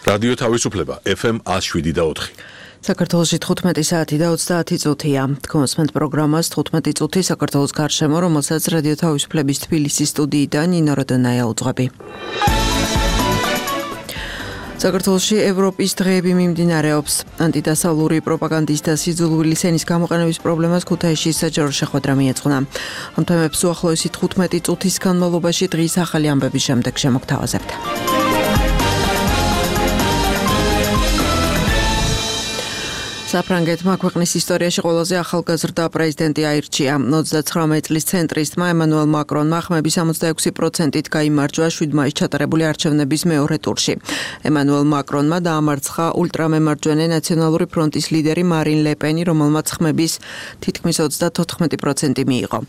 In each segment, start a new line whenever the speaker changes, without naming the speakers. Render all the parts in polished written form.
რადიო თავისუფლება FM 107.4.
საქართველოში 15 საათი და 30 წუთია. თქვენს პროგრამას 15 წუთი საქართველოს გარშემო, რომელსაც რადიო თავისუფლების თბილისის სტუდიიდან ნინო როდონაია უძღვები. საქართველოში ევროპის დღეები მიმდინარეობს. ანტიდასავლური პროპაგანდის და სიძულვილი სენის გამოყენების პრობლემას ქუთაისში საჯარო შეხვედრა მიეძღვნა. ამ თემებს უახლოესი 15 წუთის განმავლობაში დღის ახალი ამბების შემდეგ შემოგთავაზებთ. საფრანგეთმა ქვეყნის ისტორიაში ყველაზე ახალგაზრდა პრეზიდენტი აირჩია. 29 წლის ცენტრისტმა ემანუელ მაკრონმა ხმების 66%-ით გაიმარჯვა 7 მაისს ჩატარებული არჩევნების მეორე ტურში. ემანუელ მაკრონმა დაამარცხა ულტრამემარჯვენე ნაციონალური ფრონტის ლიდერი მარინ ლე პენი, რომელმაც ხმების თითქმის 34% მიიღო.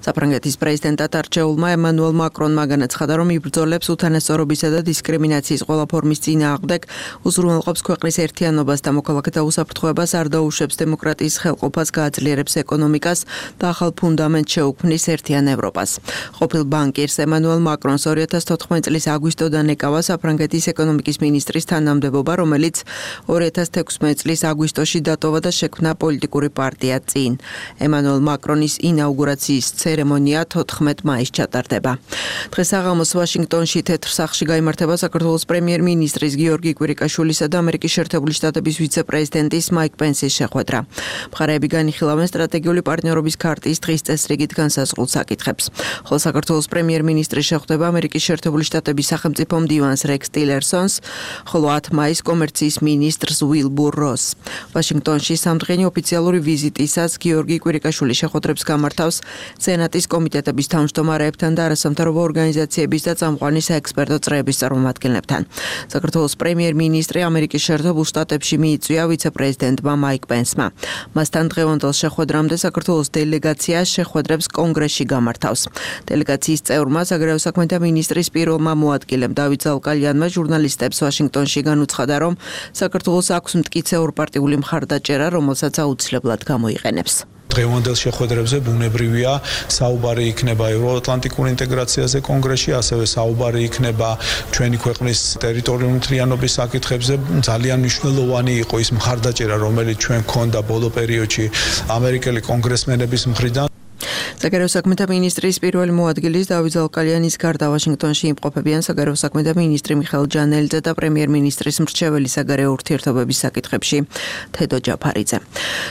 საფრანგეთის პრეზიდენტად არჩეულმა ემანუელ მაკრონმა განაცხადა, რომ იბრძოლებს უთანასწორობისა და დისკრიმინაციის ყველა ფორმის წინააღმდეგ, უზრუნველყოფს ქვეყნის ერთიანობას და მოქალაქეთა უსაფრთხოებას, არ დაუშვებს დემოკრატიის ხელყოფას, გააძლიერებს ეკონომიკას და ახალ ფუნდამენტს შეუქმნის ერთიან ევროპას. ყოფილ ბანკირს ემანუელ მაკრონს 2014 წლის აგვისტოდან ეკავა საფრანგეთის ეკონომიკის მინისტრის თანამდებობა, რომელიც 2016 წლის აგვისტოში დატოვა და შექმნა პოლიტიკური პარტია წინ. ემანუელ მაკრონის ინაუგურაციის ცერემონია 14 მაისს ჩატარდება. დღეს საღამოს ვაშინგტონში თეთრ სახლში გაიმართება საქართველოს პრემიერ-მინისტრის გიორგი კვირიკაშვილისა და ამერიკის შეერთებული შტატების ვიცე-პრეზიდენტის მაიკ პენსის შეხვედრა. მხარეები განიხილავენ სტრატეგიული პარტნიორობის ქარტიის დღის წესრიგით განსაზღვრულ საკითხებს. ხოლო საქართველოს პრემიერ-მინისტრი შეხვდება ამერიკის შეერთებული შტატების სახელმწიფო მდივანს რექს ტილერსონს, ხოლო 10 მაისს კომერციის მინისტრს უილბურ როსს. ვაშინგტონში სამდღიანი ოფიციალური ვიზიტისას გიორგი კვირიკაშვილი შეხვედრებს გამართავს სენატის კომიტეტების თავმჯდომარეებთან და არასამთავრობო ორგანიზაციების და წამყვანი საექსპერტო წრეების წარმომადგენლებთან. საქართველოს პრემიერ-მინისტრი ამერიკის შეერთებულ შტატებში მიიწვია ვიცე-პრეზიდენტმა მაიკ პენსმა. მასთან დღევანდელ შეხვედრამდე საქართველოს დელეგაცია შეხვედრებს კონგრესში გამართავს. დელეგაციის წევრმა საგარეო საქმეთა მინისტრის პირველმა მოადგილემ დავით ზალკალიანმა ჟურნალისტებს ვაშინგტონში განუცხადა, რომ საქართველოს აქვს მტკიცე ორპარტიული მხარდაჭერა, რომელსაც აუცილებლად გამოიყენებს.
დღევანდელ შეხვედრებზე ბუნებრივია საუბარი იქნება ევროატლანტიკურ ინტეგრაციაზე კონგრესში, ასევე საუბარი იქნება ჩვენი ქვეყნის ტერიტორიული მთლიანობის საკითხებზე. ძალიან მნიშვნელოვანი იყო ის მხარდაჭერა, რომელიც ჩვენ გქონდა ბოლო პერიოდში ამერიკელი კონგრესმენების მხრიდან.
საგარეო საქმეთა მინისტრის პირველი მოადგილის დავით ზალკალიანის გარდა ვაშინგტონში იმყოფებიან საგარეო საქმეთა მინისტრი მიხეილ ჯანელიძე და პრემიერ-მინისტრის მრჩეველი საგარეო ურთიერთობების საკითხებში თედო ჯაფარიძე.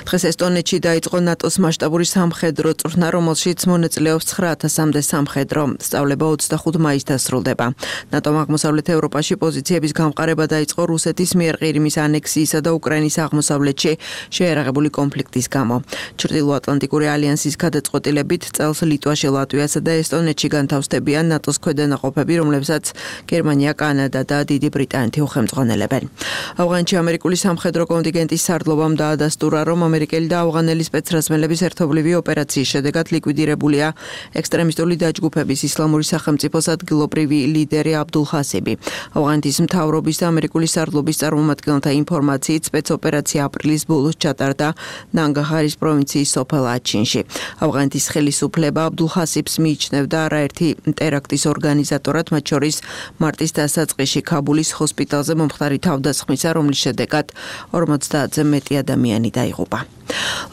დღეს ესტონეთში დაიწყო ნატოს მასშტაბური სამხედრო წვრთნა, რომელშიც მონაწილეობს 9000-მდე სამხედრო. სწავლება 25 მაისს დასრულდება. ნატომ აღმოსავლეთ ევროპაში პოზიციების გამყარება დაიწყო რუსეთის მიერ ყირიმის ანექსიისა და უკრაინის აღმოსავლეთში შეერაღებული კონფლიქტის გამო. ჩრდილოატლანტიკური ალიანსის გადაწყვეტილებით წელს ლიტვაში, ლატვიასა და ესტონეთში განთავსდებიან ნატოს ქვედანაყოფები, რომლებსაც გერმანია, კანადა და დიდი ბრიტანეთი უხელმძღვანელებენ. ავღანეთში ამერიკული სამხედრო კონტინგენტის სარდლობამ დაადასტურა, რომ ამერიკელი და ავღანელი სპეცრაზმელების ერთობლივი ოპერაციის შედეგად ლიკვიდირებულია ექსტრემისტული დაჯგუფების ისლამური სახელმწიფოს ადგილობრივი ლიდერი აბდულ ხასიბი. ავღანეთის მთავრობის და ამერიკული სარდლობის წარმომადგენელთა ინფორმაციით სპეცოპერაცია აპრილის ბოლოს ჩატარდა ნანგაჰარის პროვინციის სოფელ აჩინში. ავღანეთის ხელისუფლება აბდულ ხასიბს მიიჩნევდა არაერთი ტერაქტის ორგანიზატორად, მათ შორის მარტის დასაწყისში ქაბულის ჰოსპიტალზე მომხდარი თავდასხმისა, რომლის შედეგად 50-ზე მეტი ადამიანი დაიღუპა.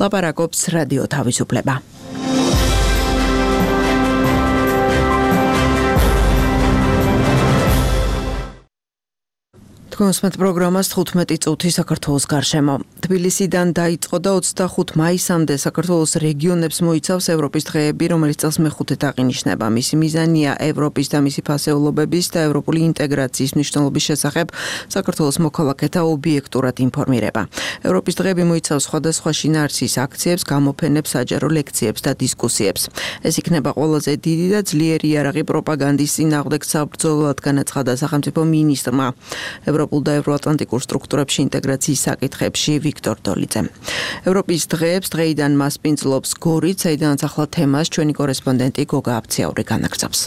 ლაპარაკობს რადიო თავისუფლება. თქვენს პროგრამას 15 წუთი საქართველოს გარშემო. თბილისიდან დაიწყო და 25 მაისამდე საქართველოს რეგიონებს მოიცავს ევროპის დღეები, რომელიც წელს მეხუთედ აღინიშნება. მისი მიზანია ევროპის და მისი ფასეულობების და ევროპული ინტეგრაციის მნიშვნელობის შესახებ საქართველოს მოქალაქეთა ობიექტურად ინფორმირება. ევროპის დღეები მოიცავს სხვადასხვა შინაარსის აქციებს, გამოფენებს, საჯარო ლექციებს და დისკუსიებს. ეს იქნება ყველაზე დიდი და ძლიერი იარაღი პროპაგანდის წინააღმდეგ საბრძოლოდ, განაცხადა სახელმწიფო მინისტრმა ევროპულ და ევროატლანტიკურ სტრუქტურებში ინტეგრაციის საკითხებში ვიქტორ დოლიძემ. ევროპის დღეებს დღეიდან მასპინძლობს გორით, საიდანაც ახლა თემას ჩვენი კორესპონდენტი გოგა აფციაური განაგრძობს.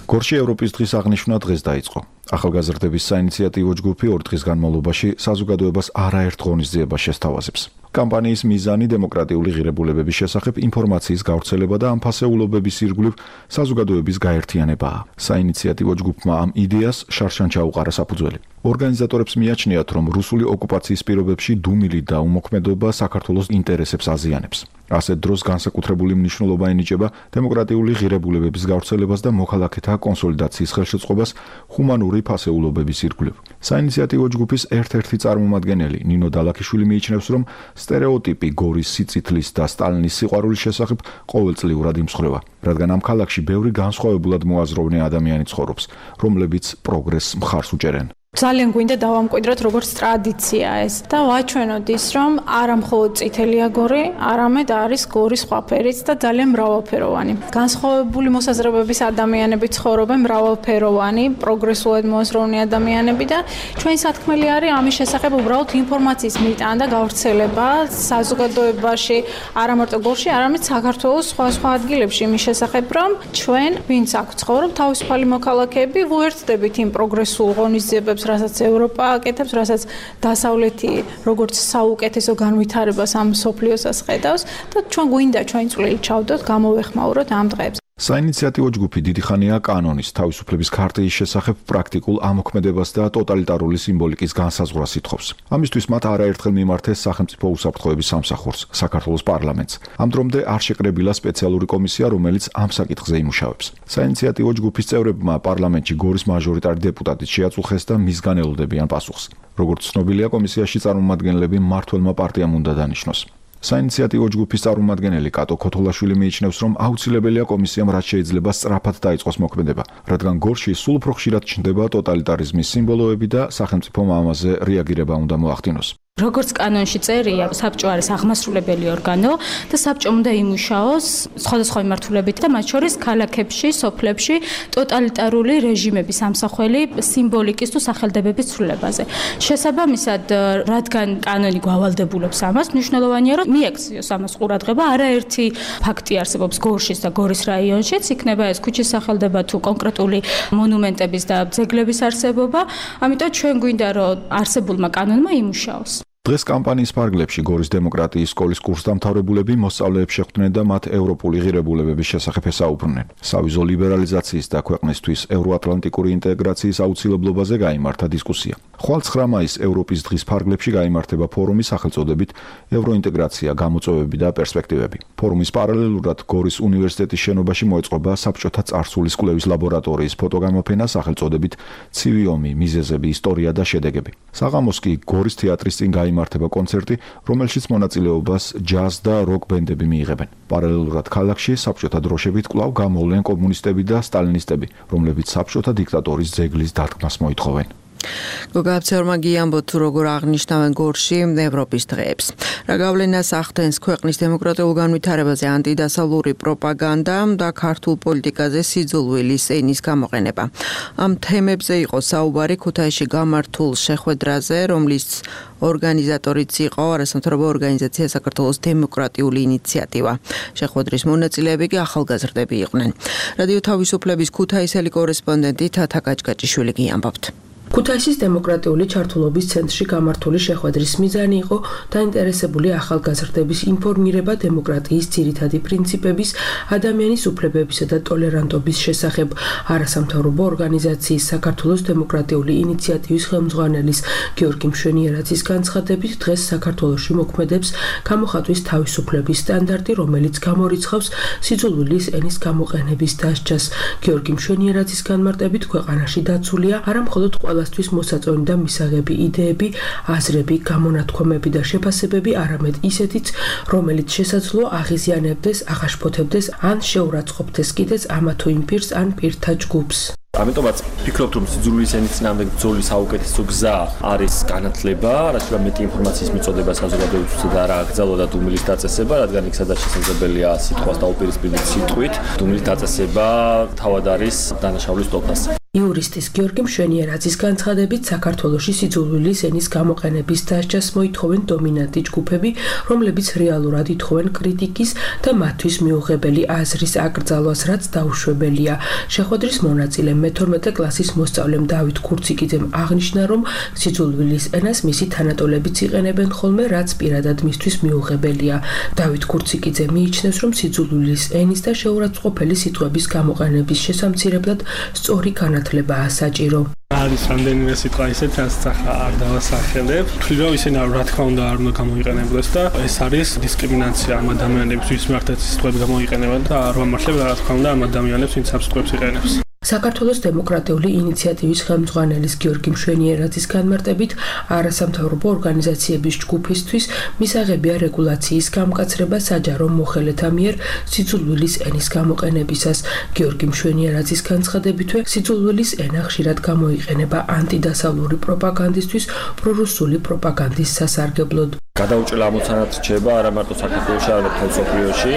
გორში ევროპის დღის აღნიშვნა დღეს დაიწყო. ახალგაზრდების საინიციატივო ჯგუფი 2 დღის განმავლობაში საზოგადოებას არაერთ ღონისძიებას შესთავაზებს. კამპანიის მიზანი დემოკრატიული ღირებულებების შესახებ ინფორმაციის გავრცელება და ამ ფასეულობების ირგვლივ საზოგადოების გაერთიანებაა. საინიციატივო ჯგუფმა ამ იდეას შარშან ჩაუყარა საფუძველი. ორგანიზატორებს მიაჩნიათ, რომ რუსული ოკუპაციის პირობებში დუმილი და უმოქმედობა საქართველოს ინტერესებს აზიანებს. ასეთ დროს განსაკუთრებული მნიშვნელობა ენიჭება დემოკრატიული ღირებულებების გავრცელებას და მოქალაქეთა კონსოლიდაციის ხელშეწყობას ჰუმანური ფასეულობების ირგვლივ. საინიციატივო ჯგუფის ერთ-ერთი წარმომადგენელი ნინო დალაქიშვილი მიიჩნევს, რომ სტერეოტიპი გორის სიწითლის და სტალინის სიყვარულის შესახებ ყოველწლიურად იმსხვრევა, რადგან ამ ქალაქში ბევრი განსხვავებულად მოაზროვნე ადამიანი ცხოვრობს, რომლებიც პროგრესს მხარს უჭერენ.
ძალიან გვინდა დავამკვიდროთ როგორც ტრადიცია ეს და ვაჩვენოთ ის, რომ არა მხოლოდ წითელია გორი, არამედ არის გორის სხვა ფერიც და ძალიან მრავალფეროვანი. განსხვავებული მოსაზრებების ადამიანები ცხოვრობენ, მრავალფეროვანი, პროგრესულად მოაზროვნე ადამიანები და ჩვენი სათქმელი არის ამის შესახებ უბრალოდ ინფორმაციის მიტანა და გავრცელება საზოგადოებაში, არა მარტო გორში, არამედ საქართველოს სხვა ადგილებში იმის შესახებ, რომ ჩვენ, ვინც აქ ცხოვრობ, თავისუფალი მოქალაქეები, ვუერთდებით იმ პროგრესულ ღონისძიებებს, რასაც ევროპა აკეთებს, რასაც დასავლეთი როგორც საუკეთესო განვითარებას ამ სოფლიოსას ხედავს და ჩვენ გვინდა ჩვენი წვლილი ჩავდოთ, გამოვეხმაუროთ ამ დღეებს.
საინიციატივო ჯგუფი დიდი ხანია კანონის, თავისუფლების ქარტიის შესახებ პრაქტიკულ ამოქმედებას და ტოტალიტარული სიმბოლიკის განსაზღვრას ითხოვს. ამისთვის მათ არაერთხელ მიმართეს სახელმწიფო უსაფრთხოების სამსახურს, საქართველოს პარლამენტს. ამ დრომდე არ შეკრებილა სპეციალური კომისია, რომელიც ამ საკითხზე იმუშავებს. საინიციატივო ჯგუფის წევრებმა პარლამენტში გორის მაჟორიტარი დეპუტატით შეაწუხეს და მისგან ელოდებიან პასუხს. როგორც ცნობილია, კომისიაში წარმომადგენლები მმართველმა პარტიამ უნდა დანიშნოს. საინიციატივო ჯგუფის წარმომადგენელი კატო ქოთოლაშვილი მიიჩნევს, რომ აუცილებელია კომისიამ რაც შეიძლება სწრაფად დაიწყოს მოქმედება, რადგან გორში სულ უფრო ხშირად ჩნდება ტოტალიტარიზმის სიმბოლოები და სახელმწიფომ ამაზე რეაგირება უნდა მოახდინოს.
როგორც კანონში წერია, საბჭო არის აღმასრულებელი ორგანო და საბჭომ უნდა იმუშაოს სხვადასხვა მიმართულებით და მათ შორის ქალაქებში, სოფლებში ტოტალიტარული რეჟიმების ამსახველი სიმბოლიკის თუ სახელდებების ცვლილებაზე. შესაბამისად, რადგან კანონი გვავალდებულებს ამას, მნიშვნელოვანია, რომ მიექციოს ამას ყურადღება. არაერთი ფაქტი არსებობს გორშის და გორის რაიონშიც, იქნება ეს ქუჩის სახელდება თუ კონკრეტული მონუმენტების და ძეგლების არსებობა. ამიტომ ჩვენ გვინდა, რომ არსებულმა კანონმა იმუშაოს.
დღეს კამპანიის ფარგლებში გორის დემოკრატიის სკოლის კურსდამთავრებულები მოსწავლეებს შეხვდნენ და მათ ევროპული ღირებულებების შესახებ ესაუბრნენ. სავიზო ლიბერალიზაციის და ქვეყნისთვის ევროატლანტიკური ინტეგრაციის აუცილებლობაზე გაიმართა დისკუსია. ხვალ 9 მაისს ევროპის დღის ფარგლებში გაიმართება ფორუმი სახელწოდებით ევროინტეგრაცია, გამოწვევები და პერსპექტივები. ფორუმის პარალელურად გორის უნივერსიტეტის შენობაში მოეწყობა საბჭოთა წარსულის კვლევის ლაბორატორიის ფოტოგამოფენა სახელწოდებით ცივი ომი, მიზეზები, ისტორია და შედეგები. საღამოს კი გორის თეატრის წინ გაიმართება კონცერტი, რომელშიც მონაწილეობას ჯაზ და როკ ბენდები მიიღებენ. პარალელურად ქალაქში საბჭოთა დროშებით კვლავ გამოვლენ კომუნისტები და სტალინისტები, რომლებიც საბჭოთა დიქტატორის ძეგლის დარტყმას მოითხოვენ.
გოგაბცერმა გიამბოთ თუ როგორ აღნიშნავენ გორში ევროპის დღეებს. რა გავლენას ახდენს ქვეყნის დემოკრატიულ განვითარებაზე ანტიდასავლური პროპაგანდა და ქართულ პოლიტიკაზე სიძულვილის ენის გამოყენება. ამ თემებზე იყო საუბარი ქუთაისში გამართულ შეხვედრაზე, რომლის ორგანიზატორიც იყო არასამთავრობო ორგანიზაცია საქართველოს დემოკრატიული ინიციატივა. შეხვედრის მონაწილეები კი ახალგაზრდები იყვნენ. რადიო თავისუფლების ქუთაისელი კორესპონდენტი თათა კაჭკაჭიშვილი გიამბობთ.
ქუთაისის დემოკრატიული ჩართულობის ცენტრში გამართული შეხვედრის მიზანი იყო დაინტერესებული ახალგაზრდების ინფორმირება დემოკრატიის ძირითადი პრინციპების, ადამიანის უფლებებისა და ტოლერანტობის შესახებ. არასამთავრობო ორგანიზაციის საქართველოს დემოკრატიული ინიციატივის ხელმძღვანელის გიორგი მშვენიერაძის განცხადებით, დღეს საქართველოში მოქმედებს გამოხატვის თავისუფლების სტანდარტი, რომელიც გამორიცხავს სიძულვილის ენის გამოყენების დასჯას. გიორგი მშვენიერაძის განმარტებით, ქვეყანაში დაცულია არა მხოლოდ ყველასთვის მოსაწონი და მისაღები იდეები, აზრები, გამონათქვამები და შეფასებები, არამედ ისეთიც, რომელიც შესაძლოა აღიზიანებდეს, აღაშფოთებდეს ან შეურაცხყოფდეს კიდეც ამა თუ იმ პირს ან პირთა ჯგუფს.
ამიტომაც ვფიქრობთ, რომ სიძულვილის ენის წინააღმდეგ ბრძოლის საუკეთესო გზა არის განათლება, რაც შეიძლება მეტი ინფორმაციის მიწოდება საზოგადოებისთვის და რა აკრძალვა და დუმილის დაწესება, რადგან იქ სადაც შესაძლებელია სიტყვას დაუპირისპირდით სიტყვით, დუმილის დაწესება თავად არის დანაშაულის ტოლფასი.
იურისტის გიორგი მშვენიერაძის განცხადებით საქართველოში სიძულვილის ენის გამოყენების დასჯას მოითხოვენ დომინანტი ჯგუფები, რომლებიც რეალურად ითხოვენ კრიტიკის და მათთვის მიუღებელი აზრის აკრძალვას, რაც დაუშვებელია. შეხვედრის მონაწილე მე-12 კლასის მოსწავლემ დავით ქურციკიძემ აღნიშნა, რომ სიძულვილის ენას მისი თანატოლებიც იყენებენ ხოლმე, რაც პირადად მისთვის მიუღებელია. დავით ქურციკიძე მიიჩნევს, რომ სიძულვილის ენის და შეურაცხყოფელი სიტყვების გამოყენების შესამცირებლად სწორი განათლებაა საჭირო.
არის რამდენიმე სიტყვა ისეთ, რასაც ახლა არ დავასახელებ. ვთვლი, რომ ისინი რა თქმა უნდა არ უნდა გამოიყენებდეს და ეს არის დისკრიმინაცია ამ ადამიანებს, ვის მიმართაც სიტყვები გამოიყენებენ და არ ვამართლებ რა თქმა უნდა ამ ადამიანებს, ვინც ამ სიტყვებს იყენებს.
საქართველოს დემოკრატიული ინიციატივის ხელმძღვანელის გიორგი მშვენიერაძის განმარტებით, არასამთავრობო ორგანიზაციების ჯგუფისთვის მისაღებია რეგულაციის გამკაცრება საჯარო მოხელეთა მიერ სიძულვილის ენის გამოყენებისას. გიორგი მშვენიერაძის განცხადებითვე, სიძულვილის ენა ხშირად გამოიყენება ანტიდასავლური პროპაგანდისთვის, პრორუსული პროპაგანდის სასარგებლოდ.
გადაუჭრელ ამოცანად რჩება არა მარტო საქართველოში, არამედ მთელ მსოფლიოში.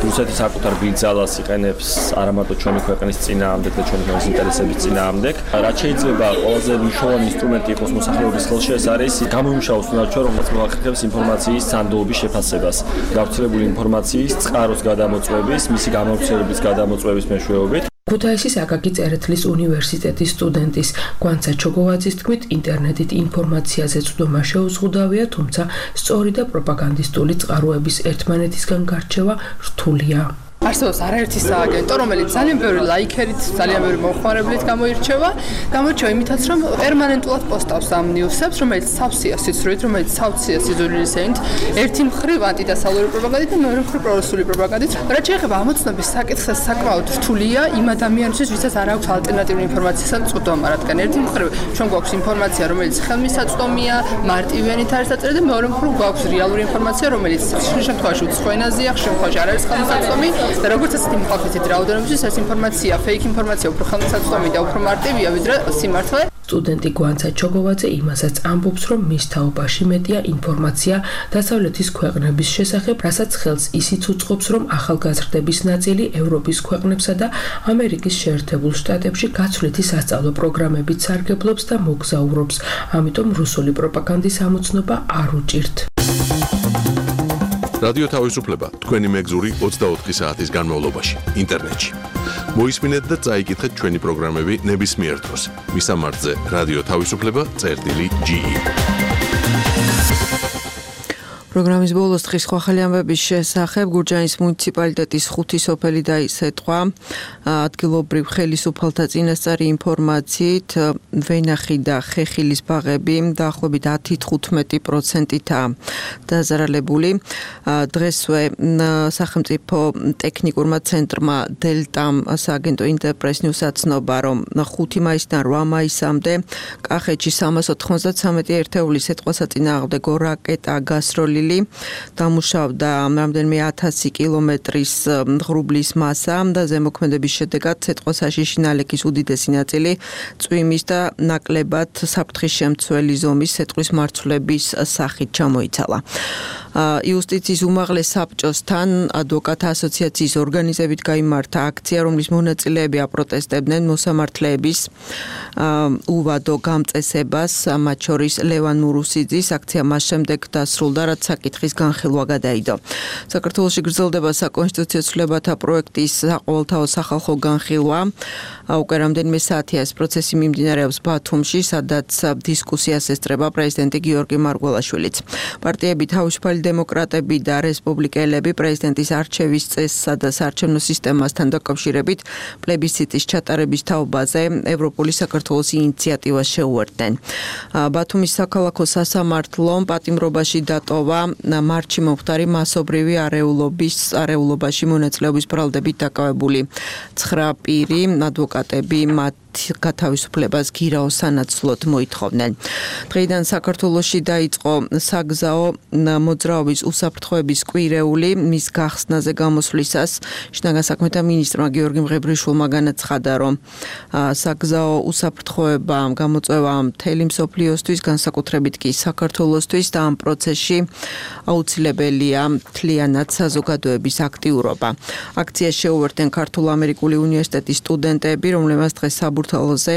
რუსეთი საკუთარ ბიძალას იყენებს არა მარტო ჩვენი ქვეყნის წინააღმდეგ და ჩვენი ქვეყნის ინტერესების წინააღმდეგ. რაც შეიძლება ყველაზე მნიშვნელოვანი ინსტრუმენტი იყოს მოსახლეობის ხელში, ეს არის გამოიმუშაოს უნარჩვე, რომელიც მოახერხებს ინფორმაციის სანდოობის შეფასებას, გავრცელებული ინფორმაციის წყაროს გადამოწვევის, მისი გამოვრცელების გადამოწვევის მეშვეობით.
ქუთაისის აკაკი წერეთლის უნივერსიტეტის სტუდენტის გვანცა ჩოგოვაძის თქმით, ინტერნეტით ინფორმაციაზე წვდომა შეუზღუდავია, თუმცა სწორი და პროპაგანდისტული წყაროების ერთმანეთისგან გარჩევა რთულია.
არსებობს არაერთი სააგენტო, რომელიც ძალიან ბევრი ლაიქერით, ძალიან ბევრი მომხმარებლით გამოირჩევა. გამოირჩევა იმითაც, რომ პერმანენტულად პოსტავს ამ ნიუსებს, რომელიც სავსეა სიცრუით, რომელიც სავსეა სიძულვილის ენით, ერთი მხრივ ანტიდასავლური პროპაგანდით და მეორე მხრივ პრორუსული პროპაგანდით. რაც შეეხება ამოცნობის საკითხს, საკმაოდ რთულია იმ ადამიანისთვის, ვისაც არ აქვს ალტერნატიული ინფორმაციისა წვდომა, რადგან ერთი მხრივ ჩვენ გვაქვს ინფორმაცია, რომელიც ხელმისაწვდომია, მარტივიანით არის დაწერილი და მეორე მხრივ გვაქვს რეალური ინფორმაცია, რომელიც ხშირ შემთხვევაში უცხო ენაზეა, ხშირ შემთხვევაში არ არის ხელმისაწვდომი. და როგორც ასეთი მოყავთ რაოდენობისთვის ეს ინფორმაცია, ფეიქ ინფორმაცია უფრო ხელმისაწვდომი და უფრო მარტივია ვიდრე სიმართლე.
სტუდენტი გვანცა ჩოგოვაძე იმასაც ამბობს, რომ მის თაობაში მეტია ინფორმაცია დასავლეთის ქვეყნების შესახებ, რასაც ხელს ისიც უწყობს, რომ ახალგაზრდების ნაწილი ევროპის ქვეყნებსა და ამერიკის შეერთებულ შტატებში გაცვლითი სასწავლო პროგრამებით სარგებლობს და მოგზაურობს. ამიტომ რუსული პროპაგანდის ამოცნობა არ უჭირთ.
რადიო თავისუფლება თქვენი მეგზური 24 საათის განმავლობაში ინტერნეტში. მოისმინეთ და წაიკითხეთ ჩვენი პროგრამები ნებისმიერ დროს. მისამართზე რადიო თავისუფლება.ge.
პროგრამის ბოლოს დღის ხვალ ამბების შესახებ გურჯაანის მუნიციპალიტეტის 5 სოფელი დაისეთყვა. ადგილობრივ ხელისუფალთა წინასწარი ინფორმაციით ვენახი და ხეხილის ბაღები დაახლოებით 10-15%-აა დაზარალებული. დღესვე სახელმწიფო ტექნიკურმა ცენტრმა დელტამ სააგენტო ინტერპრეს ნიუსს აცნობა, რომ 5 მაისიდან 8 მაისამდე კახეთში 393 ერთეულის ეთყვასაწინააღმდეგო რაკეტა გასროლილი. დამუშავდა რამდენიმე 1000 კილომეტრის ღრუბლის მასა და ზემოქმედების შედეგად ცეცხლსაშიში ნალექის უდიდესი ნაწილი წვიმის და ნაკლებად საფრთხის შემცველი ზომის ცეცხლის მარცვლების სახით ჩამოიცალა. იუსტიციის უმაღლეს საბჭოსთან ადვოკატთა ასოციაციის ორგანიზებით გაიმართა აქცია, რომლის მონაწილეები აპროტესტებდნენ მოსამართლეების უვადო გამწესებას, მათ შორის ლევან მურუსიძის აქცია მას შემდეგ დასრულდა, რაც საკითხის განხილვა გადაიდო. საქართველოში გრძელდება საკონსტიტუციო ცვლილებათა პროექტის საყოველთაო სახალხო განხილვა. უკვე რამდენიმე საათია ეს პროცესი მიმდინარეობს ბათუმში, სადაც დისკუსიას ესწრება პრეზიდენტი გიორგი მარგველაშვილიც. პარტიები თავისუფალი დემოკრატები და რესპუბლიკელები პრეზიდენტის არჩევის წესსა და საარჩევნო სისტემასთან დაკავშირებით პლებისციტის ჩატარების თაობაზე ევროპული საქართველოს ინიციატივას შეუერთდნენ. ბათუმის საქალაქო სასამართლომ პატიმრობაში დატოვა მარჩი მომხდარი მასობრივი არეულობაში მონაწილეობის ბრალდებით დაკავებული 9 პირი ადვოკატები მათ გათავისუფლებას გირაოს სანაცვლოდ მოითხოვდნენ. დღეიდან საქართველოში დაიწყო საგზაო მოძრაობის უსაფრთხოების კვირეული, მის გახსნაზე გამოსვლისას შინაგან საქმეთა მინისტრმა გიორგი მღებრიშვილმა განაცხადა, რომ საგზაო უსაფრთხოება გამოწვევა მთელი მსოფლიოსთვის, განსაკუთრებით კი საქართველოსთვის და ამ პროცესში აუცილებელია მთლიანად საზოგადოების აქტიურობა. აქციას შეუერთდნენ ქართულ-ამერიკული უნივერსიტეტის სტუდენტები, რომლებმაც დღეს საქართველოზე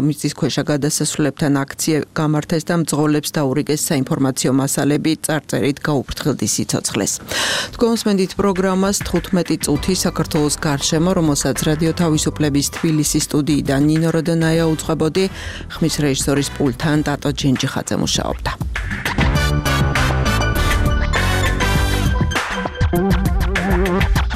მიწისქვეშა გადასასვლელებთან აქცია გამართეს და მძღოლებს დაურიგეს საინფორმაციო მასალები, წარწერით გაუფრთხილდი სიცოცხლეს. თქვენ მოსმენთ პროგრამას 15 წუთი საქართველოს გარშემო, რომელსაც რადიო თავისუფლების თბილისის სტუდიიდან ნინო როდონაია უძღვებოდი, ხმის რეჟისორის პულტთან ტატო ჯენჯიხაძე მუშაობდა.